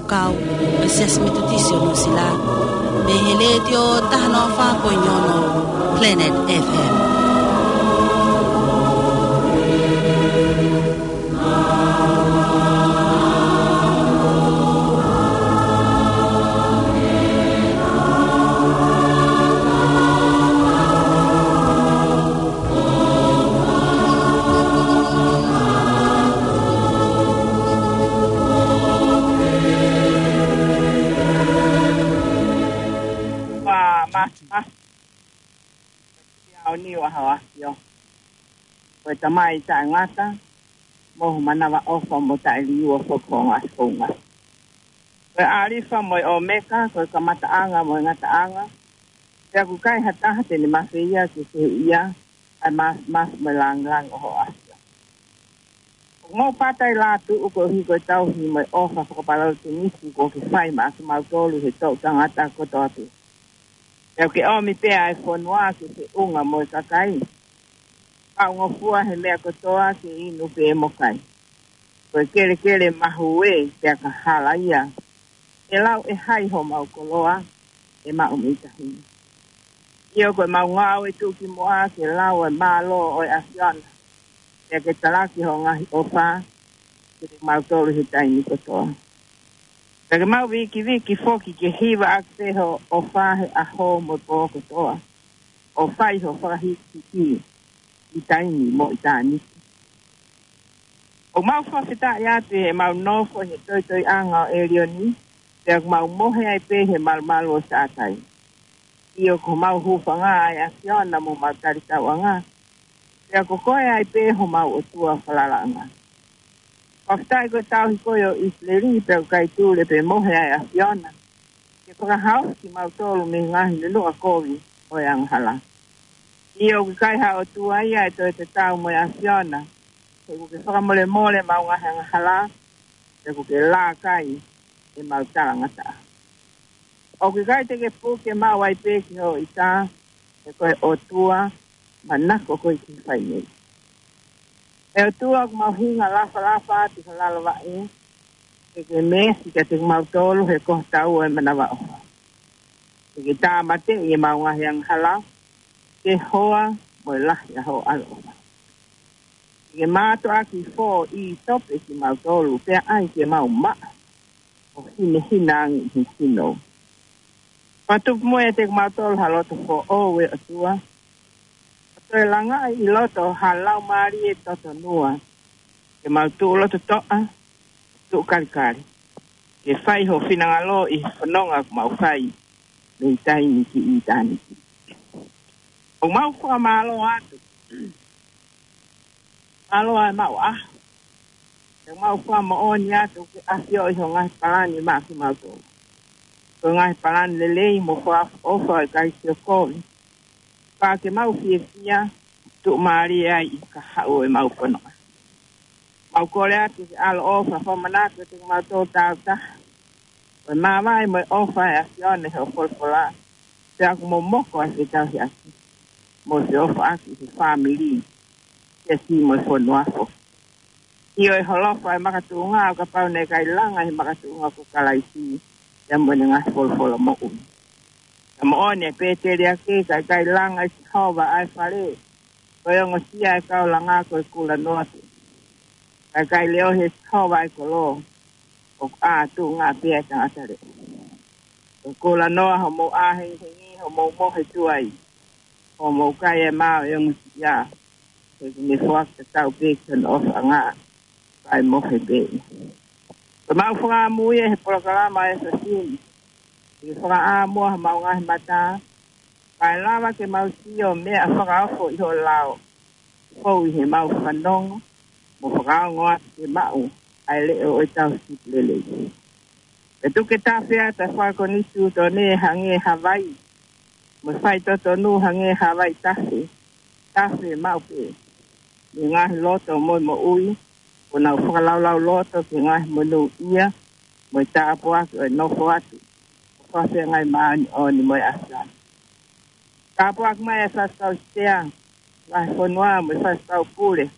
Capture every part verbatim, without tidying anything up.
Kau, ʻe Siasi Metotisi ʻo Nuʻusila, mei he Letiō taha noa fā poini ono Planet F M. Ua mas mas. Ia o ni wa hawa yo. Ko e Tamai taʻengata, mo ho manavaʻofa mo taʻeliua foki ho ngaahi founga. Ko e ʻAlifa mo e ʻOmeka, ko e kamataʻanga mo e ngataʻanga. Pea ʻoku ʻikai ha taha te ne mafeia ke fehuʻia ʻa e mas mas mo e langilangi ʻo ho ʻAfio. ʻOku mau pata ʻi lātuʻu koeʻuhi ko e tauhi mo e ʻofa fakapalautusi kuo ke fai maʻa kimautolu he toʻu tangata kotoa pē. Pea ʻoku ke ʻomi pē ʻa e fonua ke feʻunga mo e kakai. Pea ʻoku ngofua he meʻa kotoa ke inu pē mo kai. Ko e kelekele mahuʻinga pea ka hala ia, ʻe lau ʻe hai homau koloa ʻe maʻu mei tahi ni. ʻIo, ko e mau ngāue tuʻukimuʻa ke lau e mālō ʻo e ʻAfiona, pea ke talaki ho ngaahi ʻofa kiate kimautolu he taimi kotoa. Pea ke mau vikiviki foki ke hiva ʻaki pē ho ʻofa he ʻaho mo e pō kotoa, ʻo fai ho fakahīkihiki ʻi taimi mo ʻitāniti. ʻOku mau fakafetaʻi atu he mau nofo he toitoiʻanga ʻo ʻElioni, pea ʻoku mau mohe ai pē he malumalu ʻo Sātai. ʻIo, ko homau hūfanga ʻa e ʻAfiona mo homau talitauʻanga, pea ko koe ai pē homau ʻOtua falalaʻanga. Fakafetaʻi ko e tauhi koe ʻo ʻIsileli, pea ʻoku ʻikai tule pe mohe ʻa e ʻAfiona ke fakahaofi kimautolu mei he ngaahi nunuʻa kovi ʻo e angahala. ʻIo, ʻoku ʻikai ha ʻOtua ia ʻe toe tatau mo e ʻAfiona, he ʻoku ke fakamolemole ʻemau ngaahi angahala, pea ʻoku ke lākai ʻemau talangataʻa. ʻOku ʻikai te ke puke maʻu ai pē ki ho ʻita, he ko e ʻOtua manako koe ki he fai nei. ʻE ʻOtua, ʻoku mau hinga lafalafa atu ʻi ho lalo vaʻe, ke ke meesi kiate kimautolu he ko ho tau ʻo e manavaʻofa. Ke ke tāmateʻi ʻemau ngaahi angahala, ke hoa mo e lahi ʻa ho ʻaloʻofa. Ke ke mātuʻaki foʻi tope kimautolu, pea ʻai ke mau maʻa ʻo hinehina ange ʻi he sino. Pea tupu mo e ʻiate kimautolu ha loto foʻou, ʻe ʻOtua. ʻO toe langaʻi ʻi loto ha laumālie totonua. Ke mau tuʻu loto toʻa, tuʻu kalikali, ke fai ho finangalo ʻi he fononga ʻoku mau fai mei taimi ki ʻitāniti. ʻOku mau fakamālō atu. Mālō ʻa e maʻu ʻaho. ʻOku mau fakamoʻoni atu ʻoku ke ʻafioʻi ho ngaahi palani maʻa kimautolu. Ko e ngaahi palani lelei mo fakaʻofoʻofa, ʻikai siokovi. Pea ke mau fiefia, tuʻumālie ai ʻi he kahaʻu ʻo ʻemau fononga. Mau kole atu ke ʻaloʻofa fakamanatu kiate kimautolu tāutaha. Ko e māvae mo e ʻofa ʻa e ʻAfiona ʻi hoʻo folofola, pea ʻoku momoko ʻa e fetauhiʻaki mo e feʻofaʻaki ʻi he fāmili, siasi mo e fonua foki. ʻIo, ʻe holofa ʻa e makatuʻunga ʻo kapau naʻe ʻikai langa ʻi he makatuʻunga ko Kalaisi, pea mo ʻene ngaahi folofola moʻui. Ka moʻoni ʻa e pēteliake, ka ʻikai langa ʻe Sihova ʻa e fale, ko e ongosia ʻa e kau langa ko e kulanoa pē. Ka ʻikai leʻohi ʻe Sihova ʻa e kolo, ʻoku ʻātuʻunga pē ʻa e tangata leʻo. Ko e kulanoa hoʻomou ʻā hengihengi, hoʻomou mohe tuai, hoʻomou kai ʻa e mā ʻo e ongosia, he ʻoku ne foaki tatau pē ki hono ʻofaʻanga, kae mohe pē. Ko ʻemau fakaʻamu ia he polokalama ʻa e efiafi ni, ke fakaʻā muʻa homau ngaahi mata, kae lava ke mau sio meʻa fakaofo ʻi ho lao, fou ʻi heʻemau fanongo, mo fakaongo atu ke maʻu ʻa e leʻo ʻo e tauhi sipi lelei. Pea tuku ke tafe atu ʻa e fakakonitūtone hangē ha vai, mo e faitotonu hangē ha vai tafe, tafe maʻu pē. Mei he ngaahi loto mo e moʻui, kuo nau fakalaulauloto ki he ngaahi monūʻia, mo e tāpuaki ʻo e nofo atu ʻo fakafeangai māʻoniʻoni mo e ʻAfiona. Tāpuaki mai ʻa e faifekau sea, vahefonua mo e faifekau pule,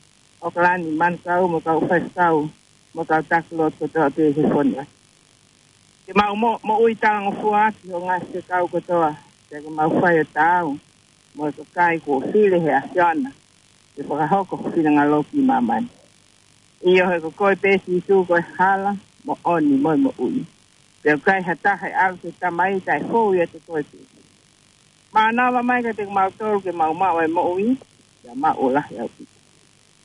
ʻOkalani, Manukau mo e kau faifekau, mo e kau taki lotu kotoa pē he fonua. Ke mau mo, moʻui talangofua ʻaki ho ngaahi fekau kotoa, pea ke mau fai ʻo taau mo e kakai kuo fili he ʻAfiona ke fakahoko ho finangalo ki māmani. ʻIo, he ko koe pē Sīsū ko e hala, moʻoni mo e moʻui. Pea ʻoku ʻikai ha taha ʻe ʻalu ki he Tamai ʻi he taʻefou ʻiate koe pē. Mānava mai kiate kimautolu ke mau maʻu e moʻui, pea maʻu ʻo lahi ʻaupito.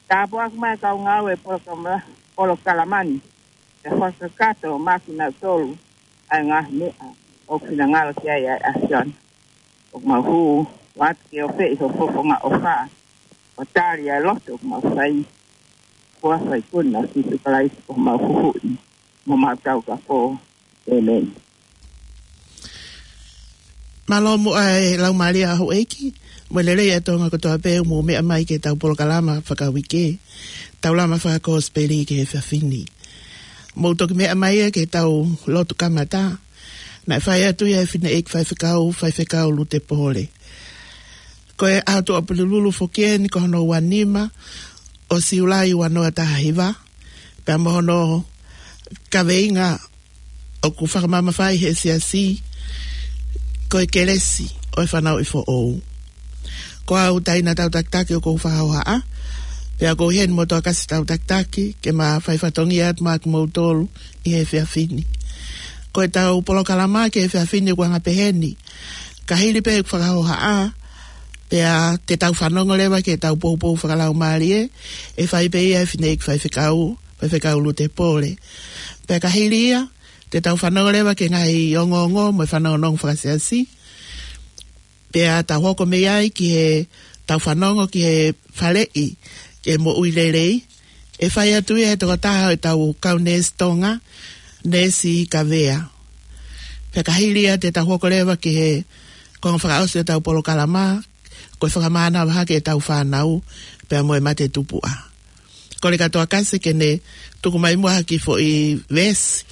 Tāpuakiʻi mai e kau ngāue ʻo e polokalama, polokalama ni, pea fakakakato maʻa kinautolu ʻa e ngaahi meʻa ʻoku finangalo ki ai ʻa e ʻAfiona. ʻOku mau hū atu ke ofeʻi ho fofonga ʻofa, ʻo tali ʻa e lotu ʻoku mau fai. Ko e huafa ʻo e ikuna ʻo Sīsū Kalaisi ko homau Huhuʻi mo homau Taukapo. ʻĒmeni. Mālō muʻa e Laumālie ʻa Houʻeiki, mo e lelei ʻa Tonga kotoa pē ʻoku mou meʻa mai ki heʻetau polokalama fakauike, Taulama Fakakosipeli ki he efiafi ni. Mou toki meʻa mai ia ki heʻetau lotu kamata, naʻe fai atu ia ʻe he fineʻeiki faifekau, Faifekau Lute Pole. Ko e ʻaho Tuʻapulelulu foki eni ko hono ua nima ʻo Siulai ua noa taha hiva, pea mo hono kaveinga ʻoku fakamamafaʻi ʻe he siasi ko e kelesi ʻo e fanauʻi foʻou. Ko au Taina Tautakitaki ʻoku ou fakahohaʻa, pea ʻoku ou ʻi heni mo Toketā Kasi Tautakitaki, ke ma fai fatongia atu maʻa kimoutolu ʻi he efiafi ni. Ko ʻetau polokalama ki he efiafi ni ʻoku anga peheni. Ka hili pē ʻeku fakahohaʻa, pea te tau fanongo leva ki heʻetau poupou fakalaumālie, ʻe fai pē ia ʻe he fineʻeiki faifekau, Faifekau Lute Pole. Pea ka hili ia, te tau fanongo leva ki he ngaahi ongoongo mo e fanongonongo fakasiasi. Pea tau hoko mei ai ki heʻetau fanongo ki he faleʻi ki he moʻui lelei, ʻe fai atu ia ʻe he tokotaha ʻo ʻetau kau neesi Tonga, Neesi Kavea. Pea ka hili ia te tau hoko leva ki he konga fakaʻosi ʻo ʻetau polokalama, ko e fakamānava hake ʻetau fānau, pea mo e mate tupuʻa. Kole kia Toketā Kasi ke ne tuku mai muʻa ha kiʻi foʻi veesi,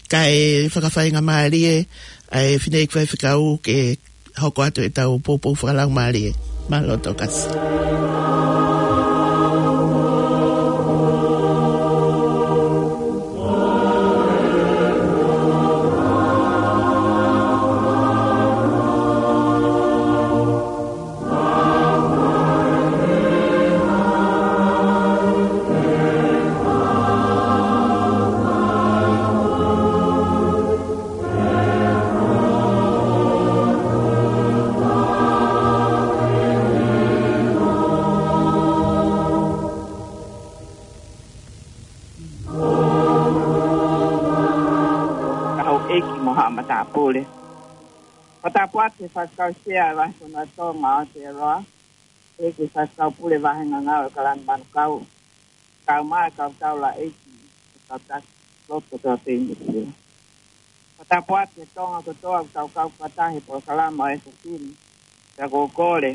kae fakafaingamālie ʻa e fineʻeiki faifekau ke hoko atu ʻetau poupou fakalaumālie. Mālō Toketā Kasi. Ka houʻeiki mo haʻa matāpule. Fakatapu atu ki he Faifekau Sea ʻo e Vahefonua Tonga ʻo Aotearoa, ʻEiki Faifekau Pule Vāhenga Ngāue ʻo e Kalanga Manukau, kae ʻumaʻā e kau taulaʻeiki ʻo e kau taki lotu kotoa pē ʻi Nuʻu Sila. Fakatapu atu ki he Tonga kotoa ʻoku tau kau fakataha he polokalama ʻo e efiafi ni. Pea ʻoku ou kole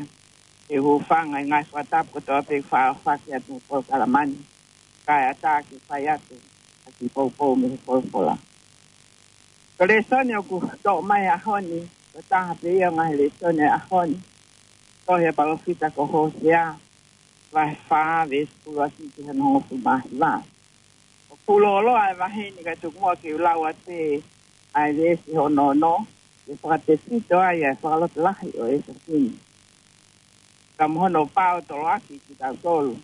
ke u hūfanga ʻi he ngaahi fakatapu kotoa pē ʻoku faʻa ʻohofaki atu he polokalama ni, kae ʻatā ke fai atu ha kiʻi poupou mei he folofola. Ko e lēsoni ʻoku toʻo mai he ʻaho ni, ko e taha pē ia ʻo e ngaahi lēsoni he ʻaho ni, tohi ʻa e palōfita ko Hōsea, vahe fā, veesi ʻuluaki ki hono hongofulu mā hiva. ʻOku fuʻu lōloa e vahe ni, kae tuku muʻa ke u lau atu pē ʻa e veesi hono ono, ke fakatefito ai ʻa e fakalotolahi ʻo e efiafi ni. Ka mo hono pāotoloaki kitautolu,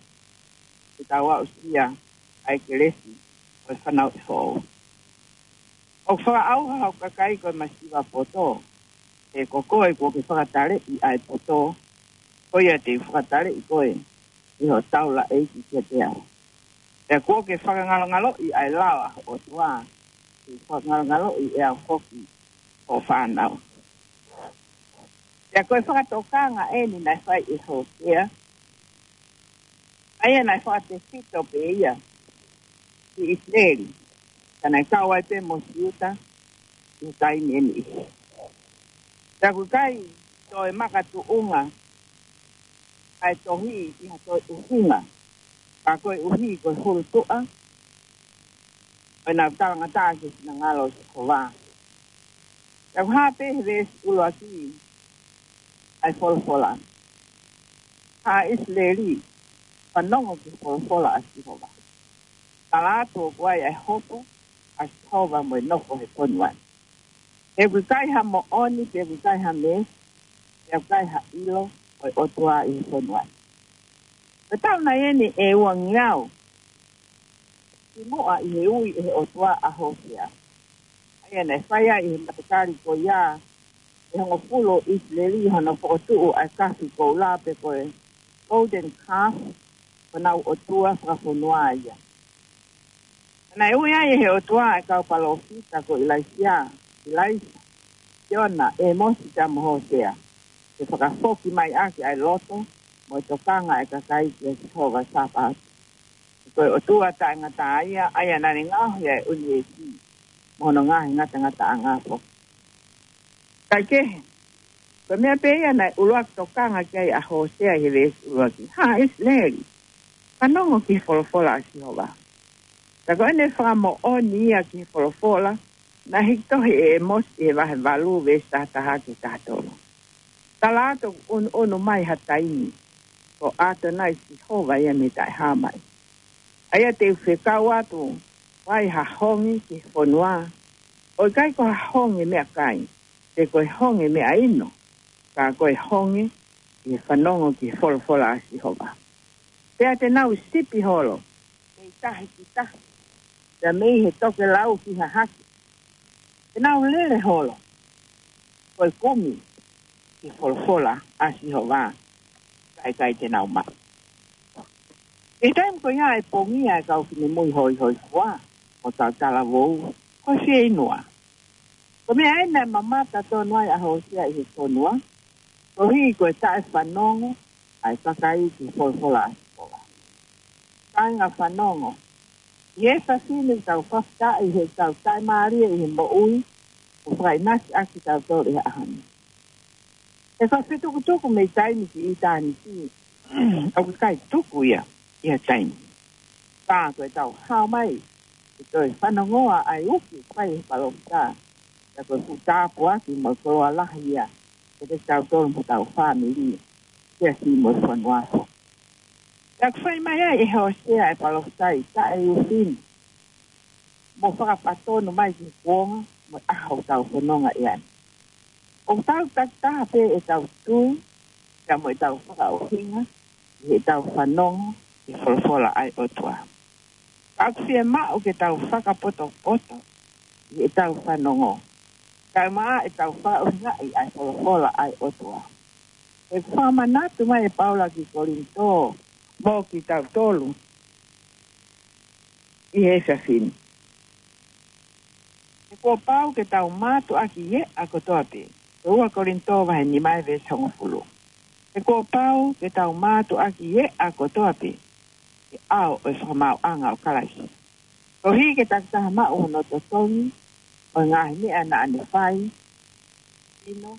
ke tau aʻusia ʻa e kelesi ʻo e fanauʻi foʻou. ʻOku fakaʻauha hoku kakai ko e masiva poto, he ko koe kuo ke fakataleʻi ʻa e poto, ko ia te u fakataleʻi koe ʻi hoʻo taulaʻeiki kiate au. Pea kuo ke fakangalongaloʻi ʻa e lao ʻa ho ʻOtua, te u fakangalongaloʻi ʻe au foki hoʻo fānau. Pea ko e fakatokanga eni naʻe fai ʻe Hōsea, ʻa ia naʻe fakatefito pē ia ki ʻIsileli, ka naʻe kau ai pē mo Siuta ʻi he taimi ʻe niʻihi. Pea ʻoku ʻikai toe makatuʻunga ʻa e tohi ʻi ha toe ʻuhinga, ka koeʻuhi ko e hulutuʻa ʻo ʻenau talangataʻa ki he finangalo ʻo Sihova. Pea ʻoku hā pē he veesi ʻuluaki ʻa e folofola. Haʻa ʻIsileli, fanongo ki he folofola ʻa Sihova. Tala atu ʻoku ʻi ai ʻa e hopo ʻa Sihova mo e nofo he fonua ni. He ʻoku ʻikai ha moʻoni, pea ʻoku ʻikai ha meesi, pea ʻoku ʻikai ha ʻilo ʻo e ʻOtua ʻi he fonua ni. Ko e taʻu nai eni ʻe uangeau kimuʻa ʻi he ui ʻe he ʻOtua ʻa Hōsea. ʻA ia naʻe fai ai ʻi he matakali ko ia ʻe hongofulu ʻo ʻIsileli hono fokotuʻu ʻa e kafi koula pe ko e golden calf, ko honau ʻotua fakafonua ia. Naʻe ui ai ʻe he ʻOtua ʻa e kau palōfita ko ʻIlaisiā, ʻIlaisa, Siona, ʻĒmosi pea mo Hōsea, ke fakafoki mai ʻaki ʻa e loto mo e tokanga ʻa e kakai kia Sihova Sāpaoti. Ko e ʻOtua taʻengata ia, ʻa ia naʻa ne ngaohi ʻa e ʻunivēsi mo hono ngaahi ngatangataʻanga foki. Kaikehe, ko e meʻa pē ia naʻe ʻuluaki tokanga ki ai ʻa Hōsea ʻi he veesi ʻuluaki: Hā ʻIsileli, fanongo ki he folofola ʻa Sihova. Ka ko ʻene fakamoʻoni ia ki he folofola naʻe hiki tohi ʻe ʻĒmosi ʻi he vahe valu veesi taha taha ki he taha tolu. Tala atu ʻoku ʻunuʻunu mai ha taimi, ko ʻAtonai Sihova ia mei Taʻehāmai, ʻa ia te u fekau atu ai ha honge ki he fonua, ʻo ʻikai ko ha honge meʻakai, pe ko e honge meʻaʻino, ka ko e honge ʻi he fanongo ki he folofola ʻa Sihova. Pea te nau sipi holo mei tahi ki tahi, pea mei he tokelau ki hahake. Te nau lele holo ko e kumi ki he folofola ʻa Sihova, ka ʻikai te nau maʻu. ʻI he taimi ko ia ʻe pongia e kau finemui hoihoifua mo e kau talavou ko e fieinua. Ko e meʻa eni naʻe mamata tonu ai ʻa Hōsea ʻi he fonua, koeʻuhi ko e taʻefanongo ʻa e kakai ki he folofola ʻa Sihova. Kāinga fanongo, ʻi he efiafi ni ʻoku tau fakafetaʻi heʻetau taʻemālie ʻi he moʻui, ʻo fakaʻinasi ʻaki kitautolu ʻi he ʻaho ni. He ko e fetukutuku mei taimi ki ʻitāniti ʻoku ʻikai tuku ia ʻi ha taimi. Ka ko ʻetau hao mai ke toe fanongoa ʻa e uki ʻoku fai ʻe he palōfita, pea ko e fuʻu tāpuaki mo e koloa lahi ia kiate kitautolu mo hotau fāmili, siasi mo e fonua foki. Pea ʻoku fai mai ai ʻe Hōsea ʻa e palōfita ʻi he taʻeufi ni, mo fakapatonu mai ki he kuonga mo e ʻaho ʻoku tau fononga ai. ʻOku tau takitaha pē ʻetau tui, pea mo ʻetau fakaʻuhinga ʻi heʻetau fanongo ki he folofola ʻa e ʻOtua. Ka ʻoku fiemaʻu ke tau fakapotopoto ʻi heʻetau fanongo, kae ʻumaʻā ʻetau fakaʻuhingaʻi ʻa e folofola ʻa e ʻOtua. ʻOku fakamanatu mai ʻe Paula ki Kolinitō mo kitautolu ʻi he efiafi ni, he kuo pau ke tau mātuʻaki ʻi he ʻea kotoa pē. Ko e ua Kolinitō vahe nima veesi hongofulu. He kuo pau ke tau mātuʻaki ʻi he ʻea kotoa pē, he ʻao ʻo e fakamaauʻanga ʻo Kalaisi, koeʻuhi ke takitaha maʻu hono totongi ʻo e ngaahi meʻa naʻa ne fai, sino,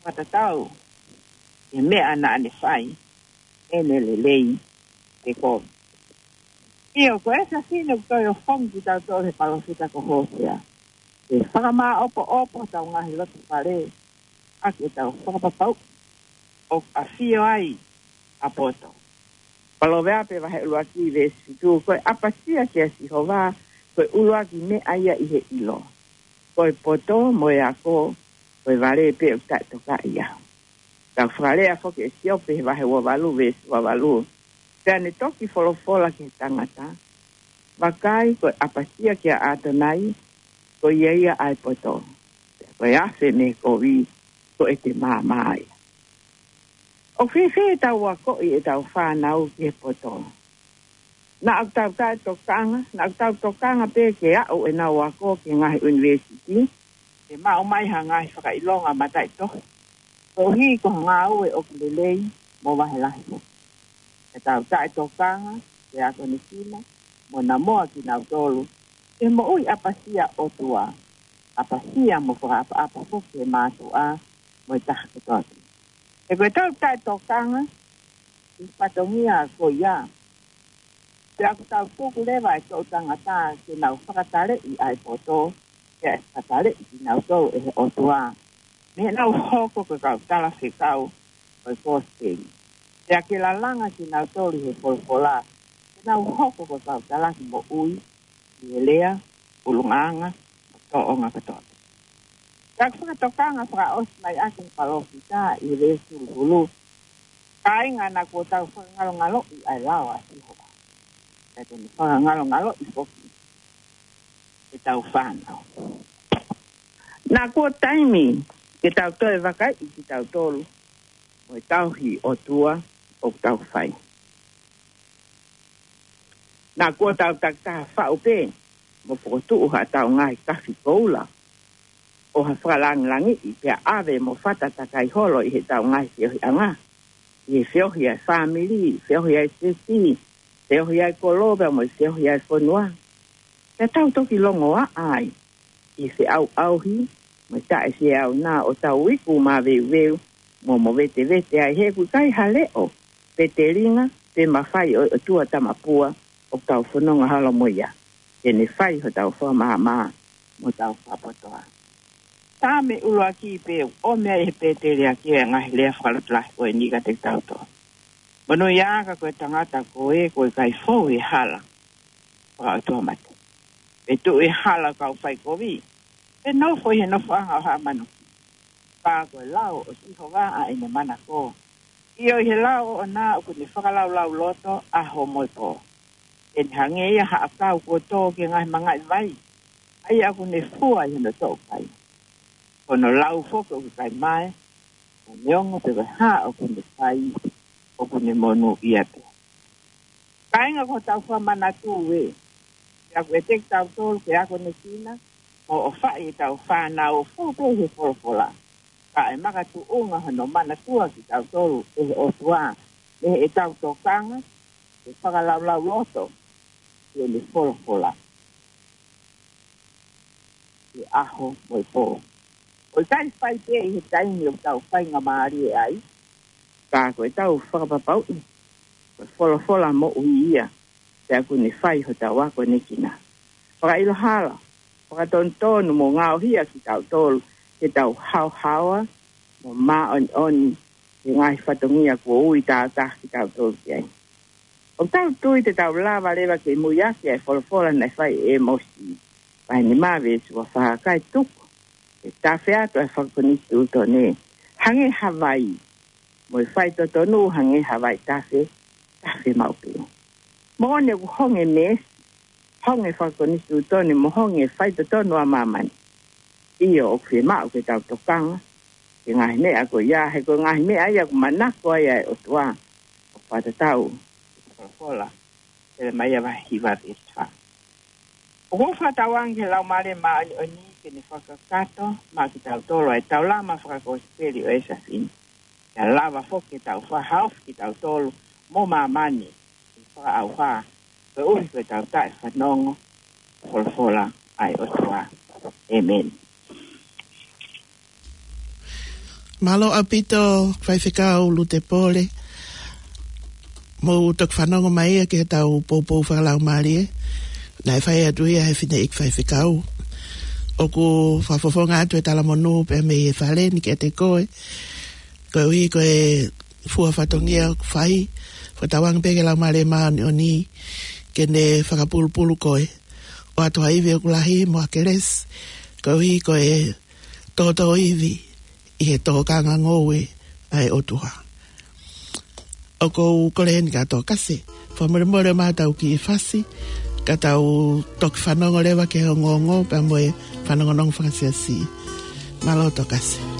fakatatau ki he meʻa naʻa ne fai, ʻene lelei pe kovi. ʻIo, ko e efiafi ni ʻoku toe ʻofongi kitautolu ʻe he palōfita ko Hōsea ke fakamāʻopoʻopo hotau ngaahi loto fale ʻaki ʻetau fakapapauʻi ʻoku ʻafio ai ʻa e poto. Palōveape vahe ʻuluaki veesi fitu: Ko e ʻapasia kia Sihova ko e ʻuluaki meʻa ia ʻi he ʻilo. Ko e poto mo e ako, ko e vale pē ʻoku taʻetokaʻi ia. Tau fakalea foki ʻe Siope he vahe ua valu veesi ua valu: Pea ne toki folofola ki he tangata: Vakai, ko e ʻapasia kia ʻAtonai, ko ia ia ʻa e poto. Pea ko e afe mei he kovi, ko ʻete maama ia. ʻOku fēfē ʻetau akoʻi ʻetau fānau ki he poto? Naʻa ʻoku tau taʻetokanga, naʻa ʻoku tau tokanga pē ke aʻu ʻenau ako ki he ngaahi ʻunivēsiti, ke maʻu mai ha ngaahi fakaʻilonga mataʻitohi, koeʻuhi ko ha ngāue ʻoku lelei mo vahe lahi foki. Ka tau taʻetokanga ke akonekina mo namoa kinautolu ki he moʻui ʻapasia ʻOtua, ʻapasia mo fakaʻapaʻapa foki ki he mātuʻa mo e taha kotoa pē. He ko ʻetau taʻetokanga ki he fatongia ko ia, pea ʻoku tau tuku leva e toʻu tangata ke nau fakataleʻi ʻa e poto, pea ʻe fakataleʻi kinautolu ʻe he ʻOtua mei heʻenau hoko ko e kau talafekau ʻo e kosipeli, pea ke lalanga kinautolu ʻi he folofola ke nau hoko ko e kau talaki moʻui ʻi he lea, ʻulungaanga, mo e tōʻonga kotoa. Ka ʻoku fakatokanga fakaʻosi mai ʻaki ʻe he palōfita ʻi he veesi huluhulu: Kāinga, naʻa kuo tau fakangalongaloʻi ʻa e lao ʻa Sihova. Pea te ne fakangalongaloʻi foki ʻetau fānau. Naʻa kuo taimi ke tau toe vakaiʻi kitautolu mo e tauhi ʻOtua ʻoku tau fai. Naʻa kuo tau takitaha faʻu pē mo fokotuʻu haʻatau ngaahi kafi koula ʻo ha fakalāngilangiʻi, pea ʻave mo fata takai holo ʻi heʻetau ngaahi feohiʻanga, ʻi he feohi ʻa e fāmili, feohi ʻa e sēsī, feohi ʻa e kolo, pea mo e feohi ʻa e fonua. Pea tau toki longoaʻa ai ʻi he feʻauʻauhi mo e taʻefieʻauna ʻo tau iku maveuveu mo movetevete ai, he ʻoku ʻikai ha leʻo pe telinga pe mafai ʻo e ʻOtua tamapua ʻoku tau fononga holo mo ia te ne fai hotau fakamaama mo hotau fakapotoʻa. Saame ʻuluaki pē ʻoku ʻomi ai ʻe he pēteliake ʻa e ngaahi lea fakalotolahi ko eni kiate kitautolu: Monūʻia ā ka ko e tangata ko ē kuo ʻikai fou ʻi he hala fakaʻotuamate, pe tuʻu ʻi he hala ʻo e kau faikovi, pe nofo ʻi he nofoʻanga ʻo haʻa manuki. Ka ko e lao ʻo Sihova ʻa ʻene manako, ʻio, ʻi he lao ʻoʻona ʻoku ne fakalaulauloto ʻaho mo e pō. Te ne hangē ia ha ʻakau kuo tō ki he ngaahi mangaʻi vai, ʻa ia ʻoku ne fua ʻi hono toʻukai. Ko hono lau foki ʻoku ʻikai mae, ʻa e neongo pe ko e hā ʻoku ne fai, ʻoku ne monūʻia pē. Kāinga, ko hotau fakamanatu ē, pea ʻoku ʻiate kitautolu ke akonekina mo ʻofaʻi ʻetau fānau ʻo fou pē ʻi he folofola, ka ʻe makatuʻunga hono manatua kitautolu ʻe he ʻOtua mei heʻetau tokanga ke fakalaulauloto ki heʻene folofola ʻi he ʻaho mo e pō. ʻOku ʻikai fai pē ʻi he taimi ʻoku tau faingamālie ai, ka ko ʻetau fakapapauʻi ko e folofola moʻui ia, pea ʻoku ne fai hotau akonekina. Fakaʻilo hala, fakatonutonu mo ngaohi ʻa kitautolu ke tau haohaoa mo māʻoniʻoni he ngaahi fatongia kuo ui tāutaha kitautolu ki ai. ʻOku tau tui te tau lava leva ke muiaki ʻa e folofola naʻe fai ʻe ʻĒmosi vahe nima veesi ua fā: Kae tuku ke tafe atu ʻa e fakakonisitūtone hangē ha vai, mo e faitotonu hangē ha vaitafe, tafe maʻu pē. Moʻoni ʻoku honge meesi, honge fakakonisitūtone, mo honge faitotonu ʻa māmani. ʻIo, ʻoku fiemaʻu ke tau tokanga ki he ngaahi meʻa ko ia, he ko e ngaahi meʻa ia ʻoku manako ai ʻa e ʻOtua, ʻo fakatatau ki he folofola Selemaia vahe hiva veesi fā. ʻOku ou fakatauange ki he Laumālie Māʻoniʻoni ke ne fakakakato maʻa kitautolu ʻa e taulama fakakosipeli ʻo e efiafi ni, ke lava foki ke tau fakahaofi kitautolu mo māmani ʻi he fakaʻauha, koeʻuhi ko ʻetau taʻefanongo ki he folofola ʻa e ʻOtua. ʻĒmeni. Mālō ʻaupito, Faifekau Lute Pole, mo e toki fanongo mai ia ki heʻetau poupou fakalaumālie naʻe fai atu ia ʻe he fineʻeiki faifekau. ʻOku fakafofonga atu e talamonū pea mei he fale ni kiate koe, koeʻuhi ko e fua fatongia ʻoku fai. Fakatauange pē ki he Laumālie Māʻoniʻoni ke ne fakapulupulu koe ʻo ʻoatu ha ivi ʻoku lahi mo ha kelesi, koeʻuhi ko e tōtōivi ʻi he tokanga ngoue ʻa e ʻOtua. ʻOku ou kole heni kia Tokase, fakamolemole ʻo maʻu ʻetau kiʻi fasi, ka tau toki fanongo leva ki he ongoongo pea mo e fanongonongo fakasiasi. Mālō Tokase.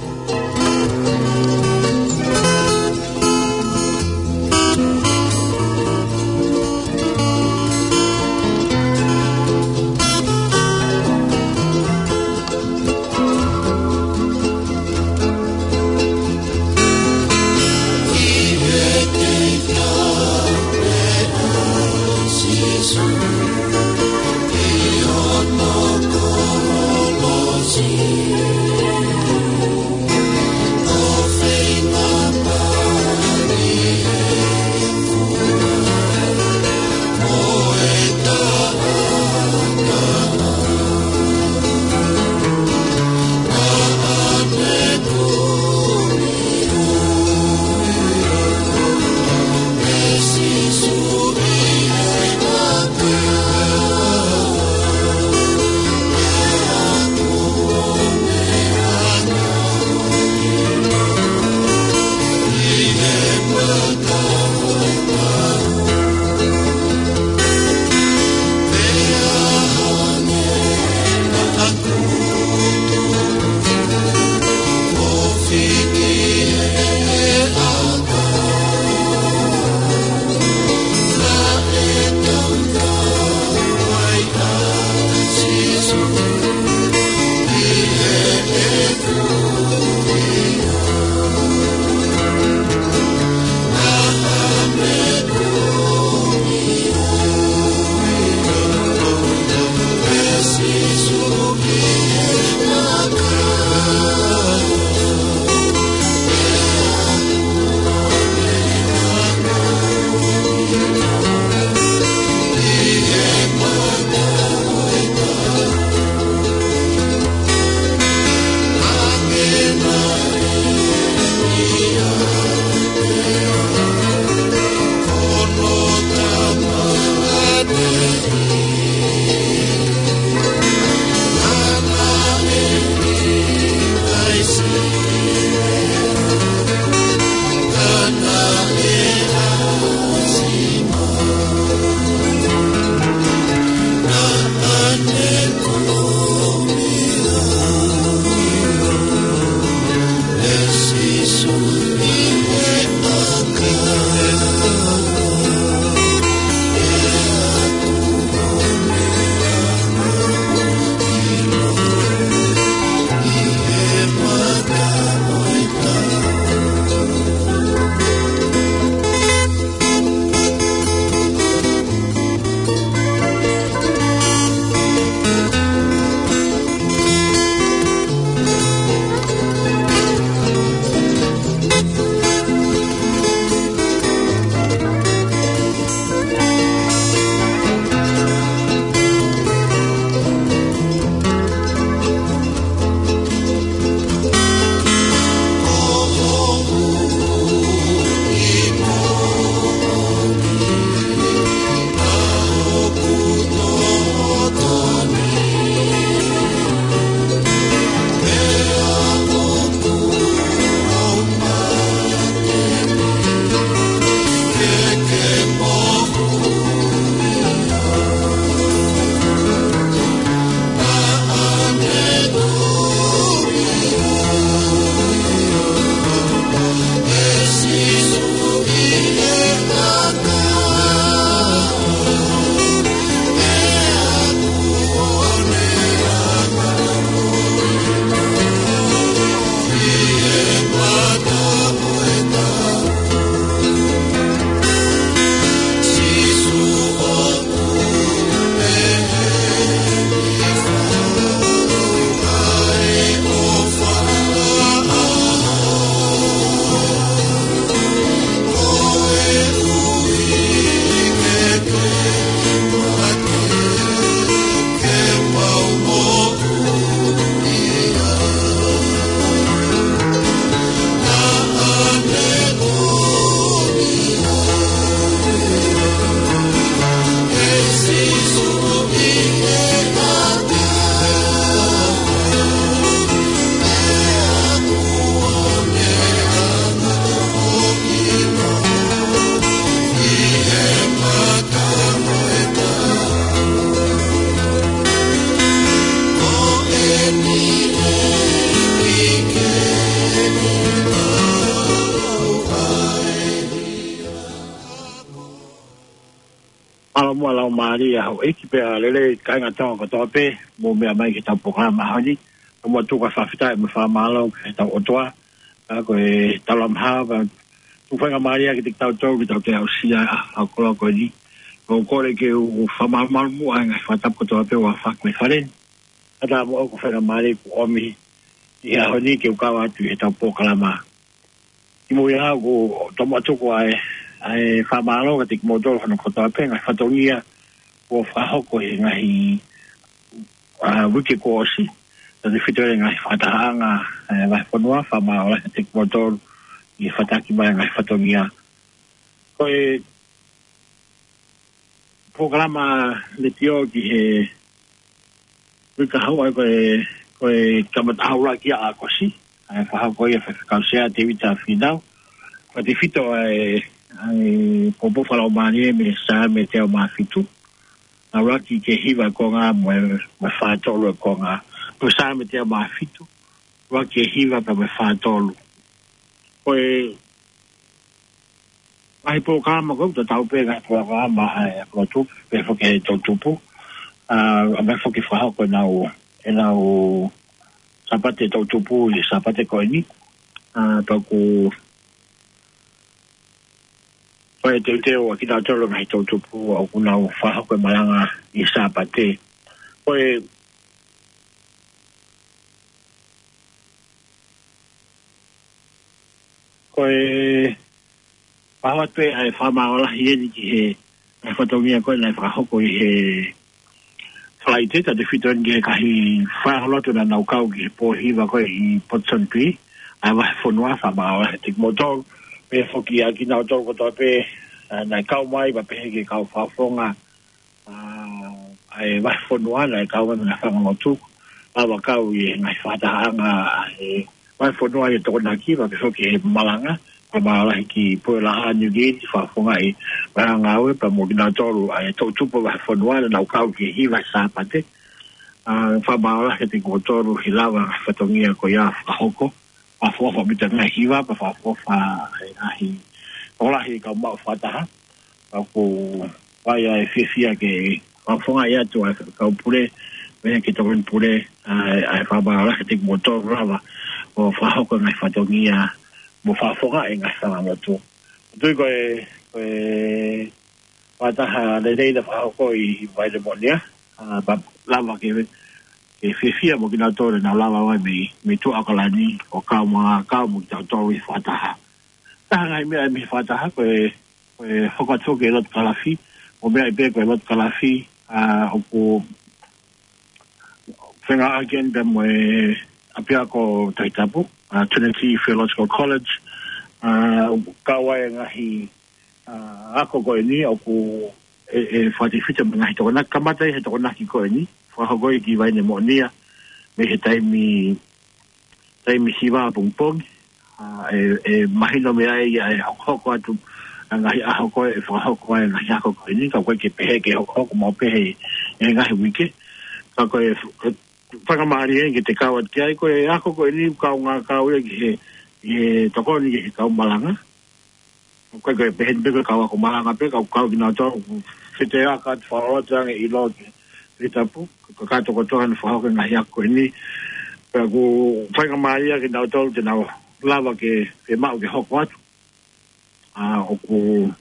Muʻa lau mālie ʻa houʻeiki pea lelei kāinga Tonga kotoa pē, mou meʻa mai ki heʻetau polokalama ʻaho ni. Muʻa tuku ʻa e fakafetaʻi mo e fakamālō ki heʻetau ʻOtua. ʻA ko e talamaha, pea tuku faingamālie kiate kitautolu ke tau toe aʻusia ʻa e koloa ko eni. ʻOku ou kole ke u fakamalumalu muʻa ʻa e ngaahi fakatapu kotoa pē ʻoku fai mai he fale ni. Kae ʻatā muʻa ko e faingamālie kuo ʻomi ʻi he ʻaho ni ke u kau atu ʻi heʻetau polokalama. Kimuʻa ʻoku ou tomuʻa tuku ʻa e, ʻa e fakamālō kiate kimoutolu hono kotoa pē, ngaahi fatongia kuo fakahoko he ngaahi, ʻa, uike kuo ʻosi. Tautefito he ngaahi fakatahaʻanga, ʻa e, vahefonua, fakamālō lahi kiate kimoutolu ʻi he fakataha mai ngaahi fatongia. Ko e polokalama letiō ki he uike kahaʻu ʻa ia ko e, ko e kamata ʻuluaki ʻa ʻAokosi, ʻa e fakahoko ia ʻe he Faifekau Sea Tēvita Fīnau. Tautefito ʻa e, ʻa e poupou fakalaumālie mei Saame teau mā fitu. ʻUluaki ki he hiva e konga mo e, mo e fā tolu e konga. Ko Saame teau mā fitu, ʻuluaki ki he hiva pea mo e fā tolu. Ko e ngaahi polokalama ko ē, tatau pē ngaahi polokalama ʻa e Ako Tupu, pehē foki ʻa e Toʻu Tupu. ʻA, ʻa, pehē foki fakahoko ʻenau, ʻenau Sāpate Toʻu Tupu ʻi he Sāpate ko eni. ʻA, pea ʻoku fai e teuteu ʻa kinautolu ngaahi Toʻu Tupu ʻoku nau fakahoko e malanga ʻi he Sāpate. Ko e Ko e pau atu ʻa e fakamālō lahi eni ki he, ʻa e fatongia ko ē naʻe fakahoko ʻi he Falaite, tautefito eni ki he ngaahi faiako lotu naʻa nau kau ki he pō hiva ko ē ʻi Ponsonby, ʻa e vahefonua, fakamālō lahi kiate kimoutolu, pehē foki ʻa kinautolu kotoa pē, ʻa, naʻe kau mai, pea pehē ki he kau fakafofonga, ʻa, ʻa e vahefonua naʻe kau mai mei he fanga lotu, lava kau ʻi he ngaahi fakatahaʻanga ʻa e vahefonua ʻi he Tokonaki, pea pehē foki he malanga, fakamālō lahi ki Puʻe Laha Niu Kili, fakafofongaʻi ʻa e ngāue, pea mo kinautolu ʻa e Toʻu Tupu vahefonua naʻa nau kau ki he hiva Sāpate. ʻA, fakamālō lahi kiate kimoutolu he lava ngaahi fatongia ko ia fakahoko, fakaʻofoʻofa ʻaupito ngaahi hiva, pea fakaʻofoʻofa e ngaahi tokolahi kau maʻu fakataha. ʻOku fai ʻa e fiefia ke fakafofongaʻi atu ʻa e kau pule, pea ki he tokoni pule, ʻa e, ʻa e fakamālō lahi kiate kimoutolu lava ʻo fakahoko ngaahi fatongia mo fakafofongaʻi ngaahi fanga lotu. Tui ko e, ko e fakataha lelei naʻe fakahoko ʻi Vailemoʻonia, ʻa, pea lava ke, ke fiefia mo kinautolu naʻa nau lava mai mei, mei Tuʻa ʻAokalani ʻo kau mo, kau mo kitautolu ʻi he fakataha. Taha ngaahi meʻa mei he fakataha ko e, ko e hoko atu ki he lotu kalafi, ʻo meʻa pē ko e lotu kalafi, ʻa, ʻoku fengāueʻaki eni pea mo e ʻapiako Tohi Tapu, ʻa, Trinity Theological College, ʻa, ʻoku kau ai e ngaahi, ʻa, ako ko eni ʻoku ʻe, ʻe fakatefito mo e ngaahi Tokonaki, kamata ʻi he Tokonaki ko eni, fakahoko ia ki Vailemoʻonia, mei he taimi taimi hiva pongipongi, ʻa, ʻe, ʻe mahino mei ai ʻa e hokohoko atu ʻa e ngaahi ʻaho ko ē ʻe fakahoko ai e ngaahi ako ko eni, ka ʻoku ʻikai ke pehē ke hokohoko maʻu pē he, he ngaahi uike. Ka ko e, ko e faingamālie eni ke te kau atu ki ai, ko e ako ko eni ʻoku kaungā kau ia ki he, ki he tokoni ki he kau malanga. ʻOku ʻikai ko e pehē ni pē ko e kau ako malanga pē, ka ʻoku kau kinautolu, ʻoku fetaiaki atu, fakalotu ange ʻi lotu, ʻi tapu, kakato kotoa ʻenau fakahoko e ngaahi ako ko eni. Pea ʻoku faingamālie kinautolu te nau lava ke, ke maʻu ke hoko atu. ʻA, ʻoku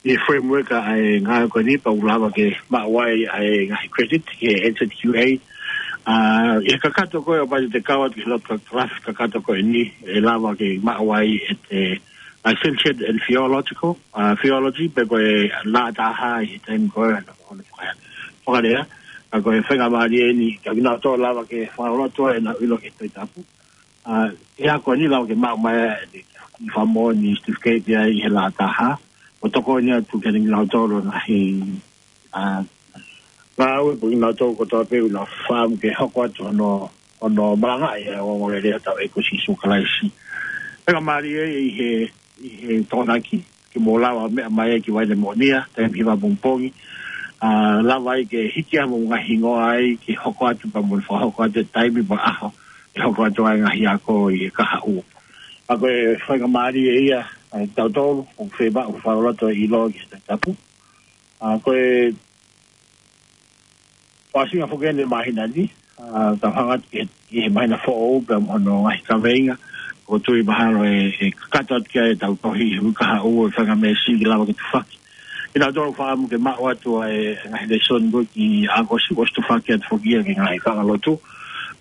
ʻi he framework ʻa e ngāue ko eni pea ʻoku lava ke maʻu ai ʻa e ngaahi credit ki he N Z Q A. ʻA, ʻi he kakato ko ē ʻo pau te te kau atu ki he lotu kalafi kakato ko eni ʻe lava ke maʻu ai e te licentiate in theological, ʻa, theology, pe ko e lā taha ʻi he taimi ko ē ʻo e fakalea. Ka ko e faingamālie eni, ka kinautolu lava ke fakalotu ai ʻenau ʻilo ki he Tohi Tapu. ʻA, ʻi he ako ni lava ke maʻu mai e kiʻi fakamoʻoni certificate ia ʻi he lā taha. ʻO tokoni atu kiate kinautolu ngaahi, ʻa, ngāue pea kinautolu kotoa pē ʻoku nau fakaʻamu ke hoko atu hono, hono malangaʻi ʻa e ongoongolelei ʻa hotau ʻEiki ko Sīsū Kalaisi. Faingamālie ʻi he, ʻi he Tokonaki, ke mou lava meʻa mai ki Vailemoʻonia, taimi hiva pongipongi. ʻA, lava ai ke hiki ʻa hoʻomou ngaahi hingoa ai, ke hoko atu pea mou fakahoko atu e taimi mo e ʻaho, ke hoko atu ai e ngaahi ako ʻi he kahaʻu. ʻA, ko e faingamālie ia, ʻa, tautolu, ʻoku fiemaʻu fakalotu ʻi loto ki he Tohi Tapu. ʻA, ko e fakaʻosinga foki eni e māhina ni, ʻa, tau hanga atu ki he, ki he māhina foʻou pea mo hono ngaahi kaveinga, ʻoku ou tui mahalo ʻe, ʻe kakato atu ki ai ʻetau tohi he uike kahaʻu ʻo e faingamālie ke lava ke tufaki. Kinautolu ʻoku fakaʻamu ke maʻu atu ʻa e ngaahi lēsoni ko ē ki ʻAokosi, ʻosi tufaki atu foki ia ki he ngaahi fangalotu,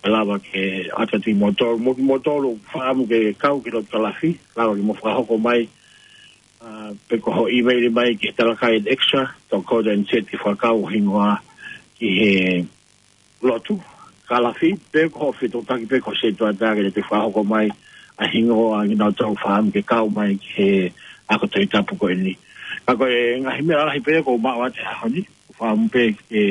ʻe lava ke ʻoatu atu kiate kimoutolu, mo kimoutolu ʻoku fakaʻamu ke kau ki he lotu kalafi, lava ke mou fakahoko mai, ʻa, pe ko hoʻo email mai ki he Talakai Extra dot co dot N Z ke fakakau ho hingoa ki he lotu kalafi, pe ko hoʻo fetuʻutaki pe ko e setuata ke ne te fakahoko mai ʻa e hingoa kinautolu ʻoku fakaʻamu ke kau mai ki he ako Tohi Tapu ko eni. Ka ko e ngaahi meʻa lalahi pē ʻoku ou maʻu atu he ʻaho ni, ʻoku ou fakaʻamu pē ke,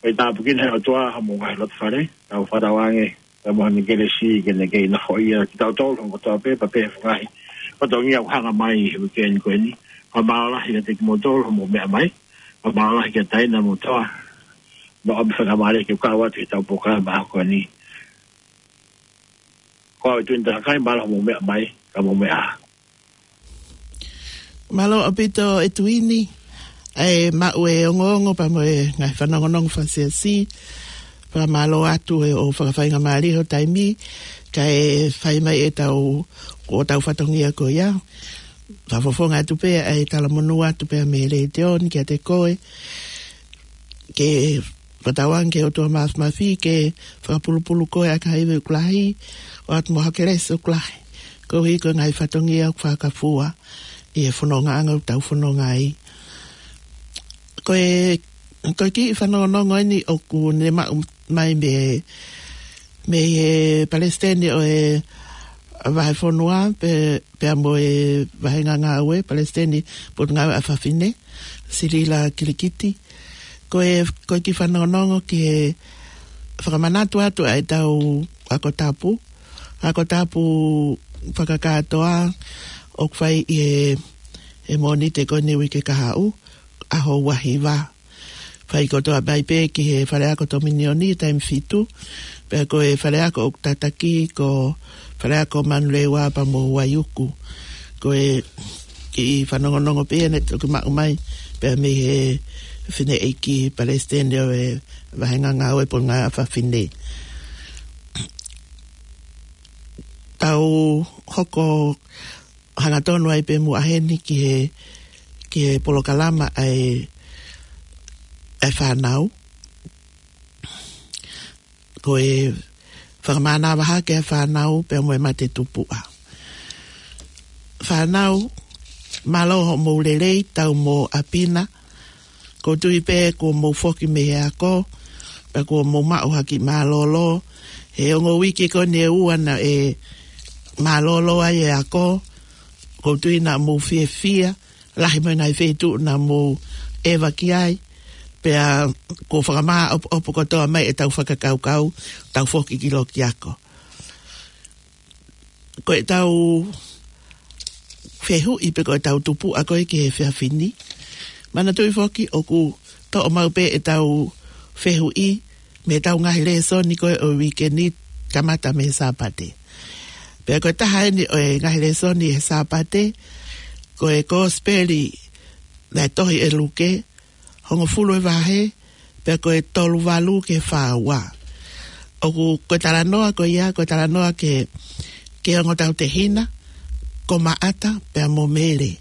ke tāpuekina ʻe he ʻOtua homou ngaahi loto fale, tau fakatauange, pea mo hono kelesi ke ne kei nafoʻia kitautolu hono kotoa pē, pea pehē foki ki he ngaahi fatongia ʻoku hanga mai he uike ni ko eni. Fakamālō lahi kiate kimoutolu hoʻomou meʻa mai. Fakamālō lahi kia Taina mo Toa, mo e ʻomi faingamālie ke u kau atu heʻetau polokalama ʻaho ko eni. Ko au ʻa Tuini Talakai, mālō hoʻomou meʻa mai, ka mou meʻa ā. Mālō ʻaupito ʻe Tuini, ʻa e maʻu e ongoongo pea mo e ngaahi fanongonongo fakasiasi. Fakamālō atu ʻi hoʻo fakafaingamālie ho taimi, kae fai mai ʻetau, ko ʻetau fatongia ko ia. Fakafofonga atu pē ʻa e talamonū atu pē mei he Letiō ni kiate koe. Ke fakatauange ki he ʻOtua Māfimafi ke fakapulupulu koe ʻaki ha ivi ʻoku lahi, ʻoatu mo ha kelesi ʻoku lahi. Koeʻuhi ko e ngaahi fatongia ʻoku fakafua ʻi he fonongaʻanga ʻoku tau fononga ai. Ko e, ko e kiʻi fanongonongo eni ʻoku ne maʻu mai mei, mei he palesiteni ʻo e vahefonua, pe, pea mo e vāhenga ngāue, palesiteni Potungāue ʻa Fafine, Silila Kilikiti. Ko e, ko e kiʻi fanongonongo ki he fakamanatu atu ʻa ʻetau ako tapu. Ako tapu fakakātoa ʻoku fai ʻi he, he Mōnite ko eni uike kahaʻu, ʻaho ua hiva. Fai kotoa mai pē ki he faleako Tominioni, taimi fitu. Pea ko e faleako ʻoku tataki ko faleako Manurewa pea mo Vaiuku. Ko e kiʻi fanongonongo pē eni ʻoku maʻu mai pea mei he fineʻeiki palesiteni ʻo e vāhenga ngāue Potungāue ʻa Fafine. Tau hoko hangatonu ai pē muʻa heni ki he, ki he polokalama ʻa e, ʻa e fānau. Ko e fakamānava hake ʻa e fānau pea mo e mate tupuʻa. Fānau, mālō hoʻomou lelei, tau mo ʻapi na. ʻOku ou tui pē kuo mou foki mei he ako, pea kuo mou maʻu ha kiʻi mālōlō. He ongo uike ko eni ʻe ua naʻe mālōlō ai e ako. ʻOku ou tui naʻa mou fiefia, lahi mo e ngaahi feituʻu naʻa mou ʻeva ki ai. Pea kuo fakamāʻopoʻopo kotoa mai ʻetau fakakaukau, tau foki ki loki ako. Ko ʻetau fehuʻi pe ko ʻetau tupuʻa ko ē ki he efiafi ni. Manatuʻi foki ʻoku toʻo maʻu pē ʻetau fehuʻi mei heʻetau ngaahi lēsoni ko ē ʻo e uike ni, kamata mei he Sāpate. Pea ko e taha eni ʻo e ngaahi lēsoni he Sāpate, ko e Kosipeli naʻe tohi ʻe Luke, hongofulu e vahe, pea ko e tolu valu ki he fā ua. ʻOku, ko e talanoa ko ia, ko e talanoa ki he, ki he ongo tautehina, ko Maʻata pea mo Mele.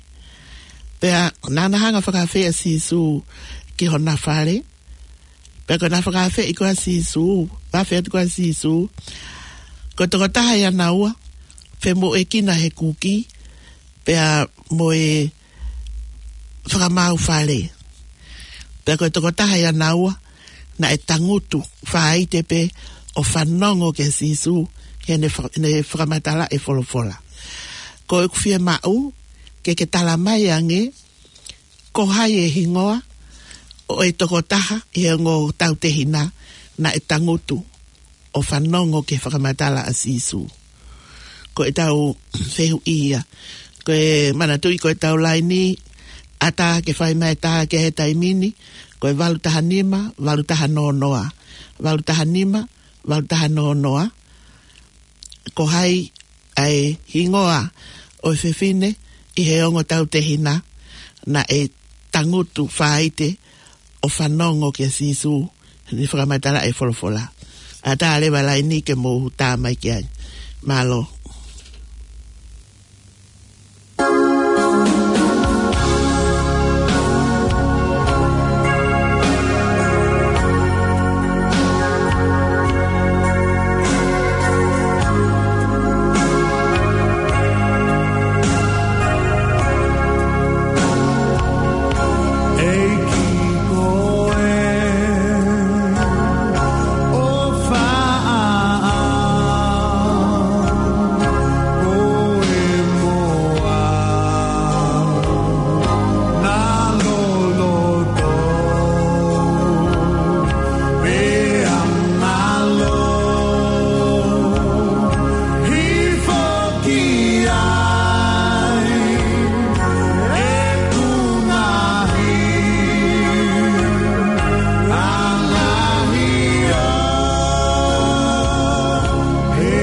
Pea naʻa na hanga ʻo fakaafeʻi ʻa Sīsū ki hona fale. Pea ko ʻena fakaafeʻi ko ē ʻa Sīsū, afe atu ko ē ʻa Sīsū, ko e tokotaha ʻiate kinaua, femoʻuekina he kuki, pea mo e fakamaau fale. Pea ko e tokotaha ʻiate kinaua naʻe tangutu, faite pē ʻo fanongo kia Sīsū, heʻene fa-, heʻene fakamatala e folofola. Ko ʻeku fiemaʻu ke ke tala mai ange, ko hai e hingoa ʻo e tokotaha ʻi he ongo tautehina naʻe tangutu ʻo fanongo ki he fakamatala ʻa Sīsū. Ko ʻetau fehuʻi ia. Ko e manatuʻi ko ʻetau laini, ʻatā ke fai mai e tā ki he taimi ni, ko e valu taha nima, valu taha noa noa. Valu taha nima, valu taha noa noa. Ko hai ʻa e hingoa ʻo e fefine ʻi he ongo tautehina naʻe tangutu faite ʻo fanongo kia Sīsū, ʻene fakamatala ʻe he folofola. ʻAtā leva e laini ke mou tā mai ki ai. Mālō. ʻEiki ko e ʻofa ʻaʻau, ko e moa na loloto, pea mālō hifo ki ai ʻeku ngaahi ʻangaʻi ʻo he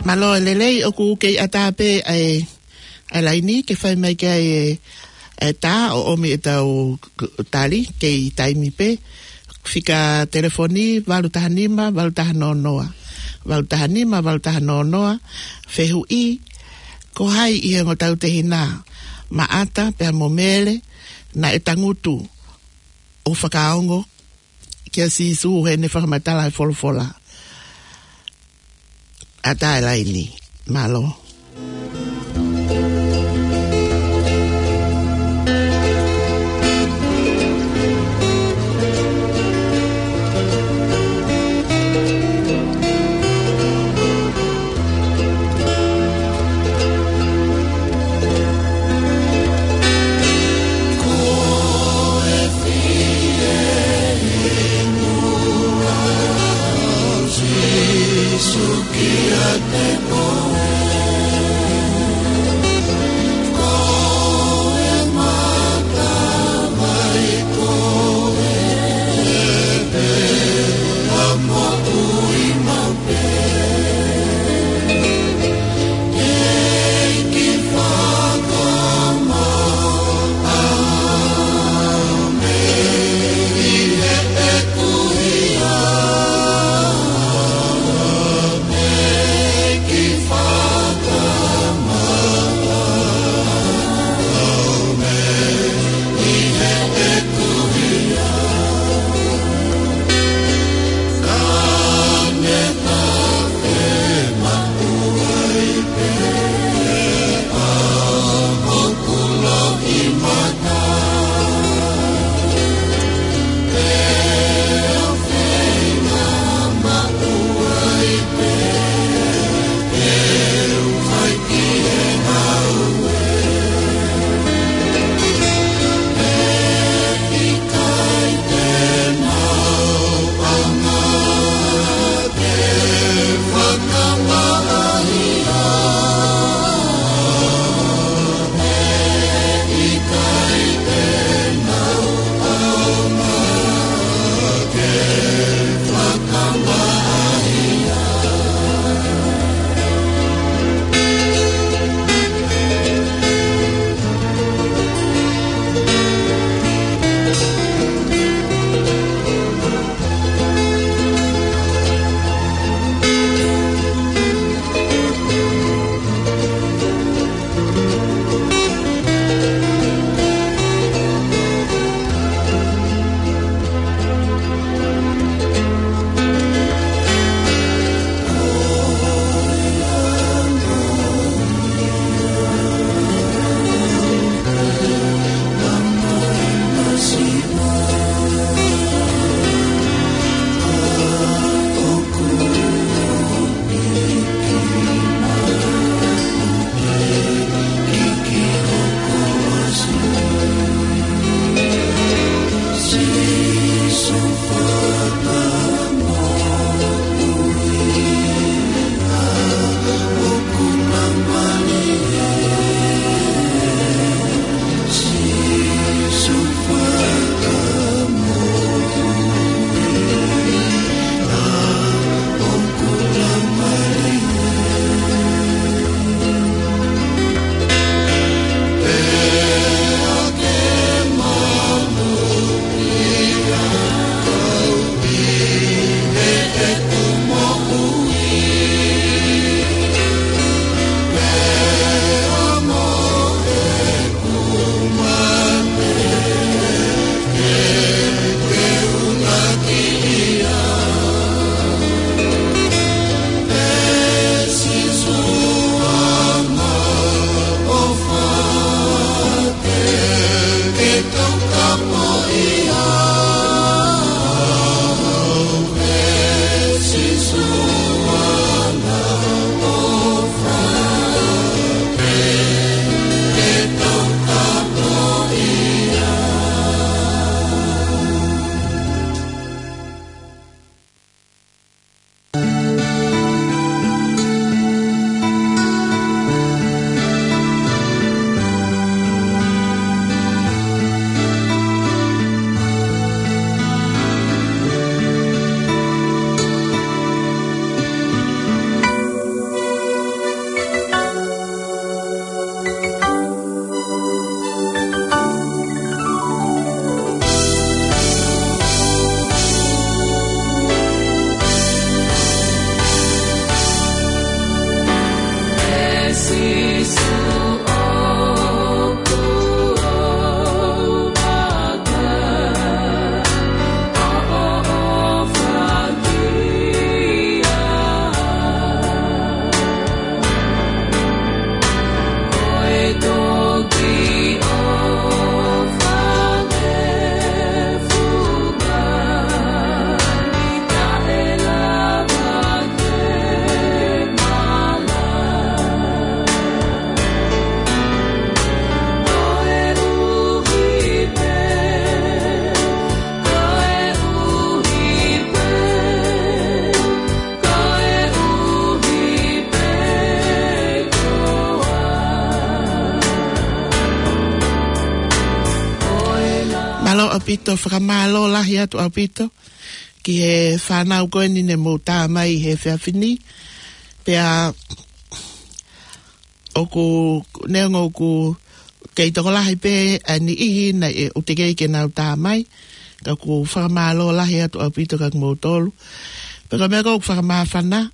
Mālō e lelei, ʻoku kei ʻatā pē ʻa e, ʻa e laini ke fai mai ki ai e, e tā ʻo ʻomi ʻetau k-, tali, kei taimi pē. Fika telefoni valu taha nima, valu taha noa noa. Valu taha nima, valu taha noa noa. Fehuʻi, ko hai ʻi he ongo tautehina, Maʻata pea mo Mele, naʻe tangutu ʻo fakaongo kia Sīsū heʻene fakamatala e folofola? ʻAtā e laini. Mālō. Mālō ʻaupito, fakamālō lahi atu ʻaupito ki he fānau ko eni ne mou tā mai he efiafi ni. Pea ʻoku, neongo ʻoku kei tokolahi pē ʻa e niʻihi naʻe ʻikai ke nau tā mai, ka ʻoku fakamālō lahi atu ʻaupito kia kimoutolu. Pea ko e meʻa ʻoku ou fakamāfana,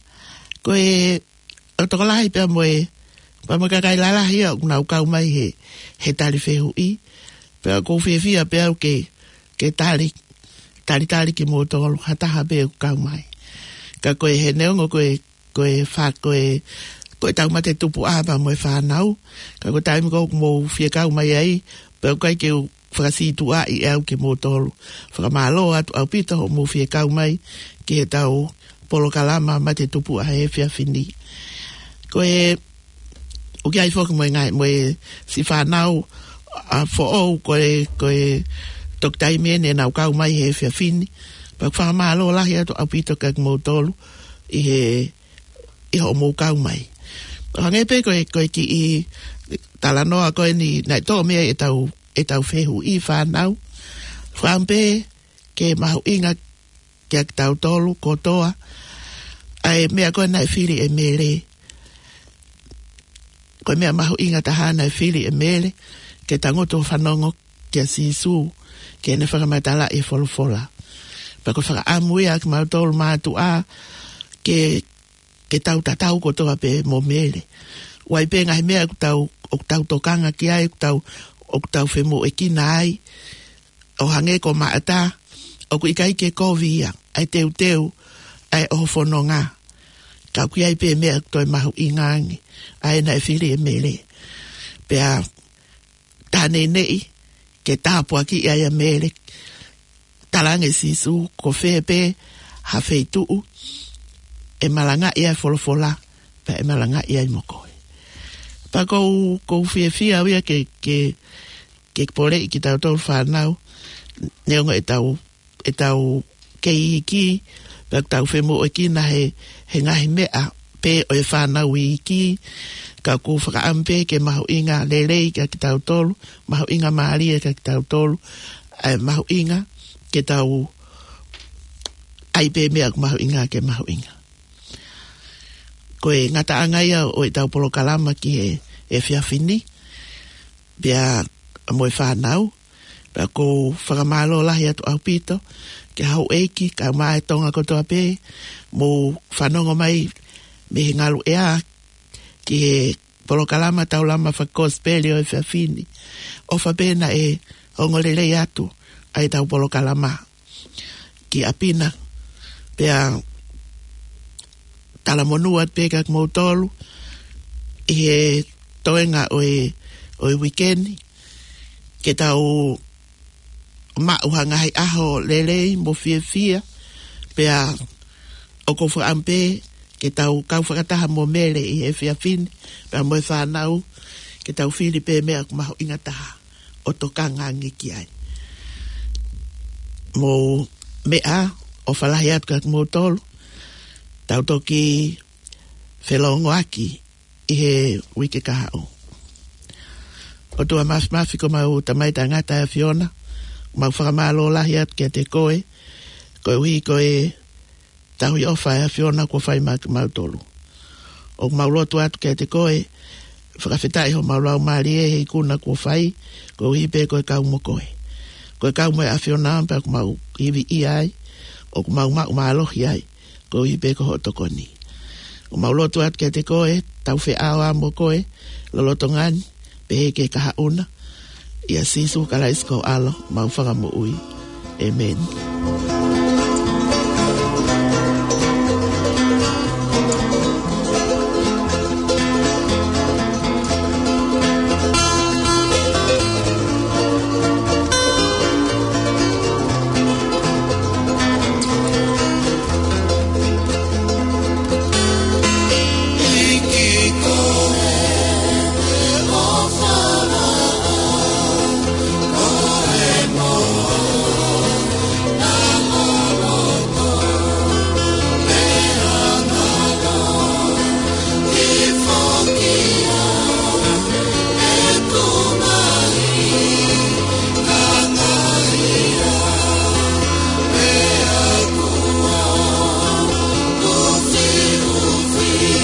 ko e ʻoku tokolahi pea mo e, pea mo e kakai lalahi ia ʻoku nau kau mai he, he tali fehuʻi. Pea ʻoku ou fiefia pē au ke, ke tali, talitali kimoutolu ha taha pē ʻoku kau mai. Ka ko e he neongo ko e, ko e fa-, ko e, ko e tau mate tupuʻa pea mo e fānau. Ka ko e taimi ko ē ʻoku mou fie kau mai ai, pea ʻoku ʻikai ke u fakasītuʻaʻi ʻe au kimoutolu. Fakamālō atu ʻaupito hoʻomou fie kau mai ki he tau polokalama mate tupuʻa he efiafi ni. Ko e, ʻoku ʻi ai foki mo e ngaahi, mo e siʻi fānau, ʻa, foʻou ko e, ko e toki taimi eni ʻenau kau mai he efiafi ni. Pea ʻoku fakamālō lahi atu ʻaupito kia kimoutolu ʻi he, ʻi hoʻomou kau mai. Hangē pē ko e, ko e kiʻi talanoa ko eni naʻe tō mei ai ʻetau, ʻetau fehuʻi fānau. Fakaʻamu pē ke mahuʻinga kia kitautolu kotoa ʻa e meʻa ko ē naʻe fili ʻe Mele. Ko e meʻa mahuʻinga taha naʻe fili ʻe Mele, ke tangutu ʻo fanongo kia Sīsū, ke ne fakamatalaʻi e folofola. Pea ko e fakaʻamu ia ʻa kimautolu mātuʻa, ke, ke tau tatau kotoa pē mo Mele. ʻOku ʻi ai pē ngaahi meʻa ʻoku tau, ʻoku tau tokanga ki ai, ʻoku tau, ʻoku tau femoʻuekina ai, ʻo hangē ko Maʻata, ʻoku ʻikai ke kovi ia ʻa e teuteu ʻa e ʻoho fononga. Ka ʻoku ʻi ai pē meʻa ʻoku toe mahuʻinga ange, ʻa ē naʻe fili ʻe Mele. Pea tā neʻineʻi ke tāpuakiʻi ai ʻa Mele. Talaange ʻe Sīsū, ko fē pē ha feituʻu ʻe malangaʻi ai e folofola, pea ʻe malangaʻi ai mo koe. Pea ʻoku ou, ʻoku ou fiefia au ia ke, ke, ke poleʻi kitautolu fānau, neongo ʻetau, ʻetau kei iiki, pea ʻoku tau femoʻuekina he, he ngaahi meʻa pē ʻo e fānau iiki, ka ʻoku fakaʻamu pē ke mahuʻinga lelei kia kitautolu, mahuʻinga mālie kia kitautolu, ʻa e mahuʻinga ke tau ʻai pē meʻa ʻoku mahuʻinga ke mahuʻinga. Ko e ngataʻanga ia ʻo ʻetau polokalama ki he, he efiafi ni, pea mo e fānau, pea ʻoku ou fakamālō lahi atu ʻaupito ki he houʻeiki, kaeʻumaʻā e Tonga kotoa pē, mou fanongo mai mei he ngaluʻea ki he polokalama Taulama Fakakosipeli ʻo e efiafi ni. ʻOfa pē naʻe ongo lelei atu ʻa ʻetau polokalama ki ʻapi na. Pea talamonū atu pē kia kimoutolu ʻi he toenga ʻo e, ʻo e uike ni, ke tau maʻu ha ngaahi ʻaho lelei mo fiefia, pea ʻoku ou fakaʻamu pē ke tau kau fakataha mo Mele ʻi he efiafi ni, pea mo e fānau, ke tau fili pē meʻa ʻoku mahuʻinga taha ʻo tokanga ange ki ai. Mou meʻa, ʻofa lahi atu kia kimoutolu, tau toki felōngoaki ʻi he uike kahaʻu. ʻOtua Māfimafi, ko homau Tamai Taʻengata ʻa e ʻAfiona, mau fakamālō lahi atu kiate koe, koeʻuhi ko e tauhi ʻofa ʻa e ʻAfiona kuo fai maʻa kimautolu. ʻOku mau lotu atu kiate koe, fakafetaʻi homau laumālie he ikuna kuo fai, koeʻuhi pē ko e kau mo koe. Ko e kau mo e ʻAfiona pē ʻoku mau ivi ai, ʻoku mau maʻu mālohi ai, koeʻuhi pē ko hoʻo tokoni. ʻOku mau lotu atu kiate koe, tau feʻao mo koe, lolotonga ni, pehē ki he kahaʻu na, ʻia Sīsū Kalaisi ko ho ʻAlo, mau Fakamoʻui. ʻĒmeni.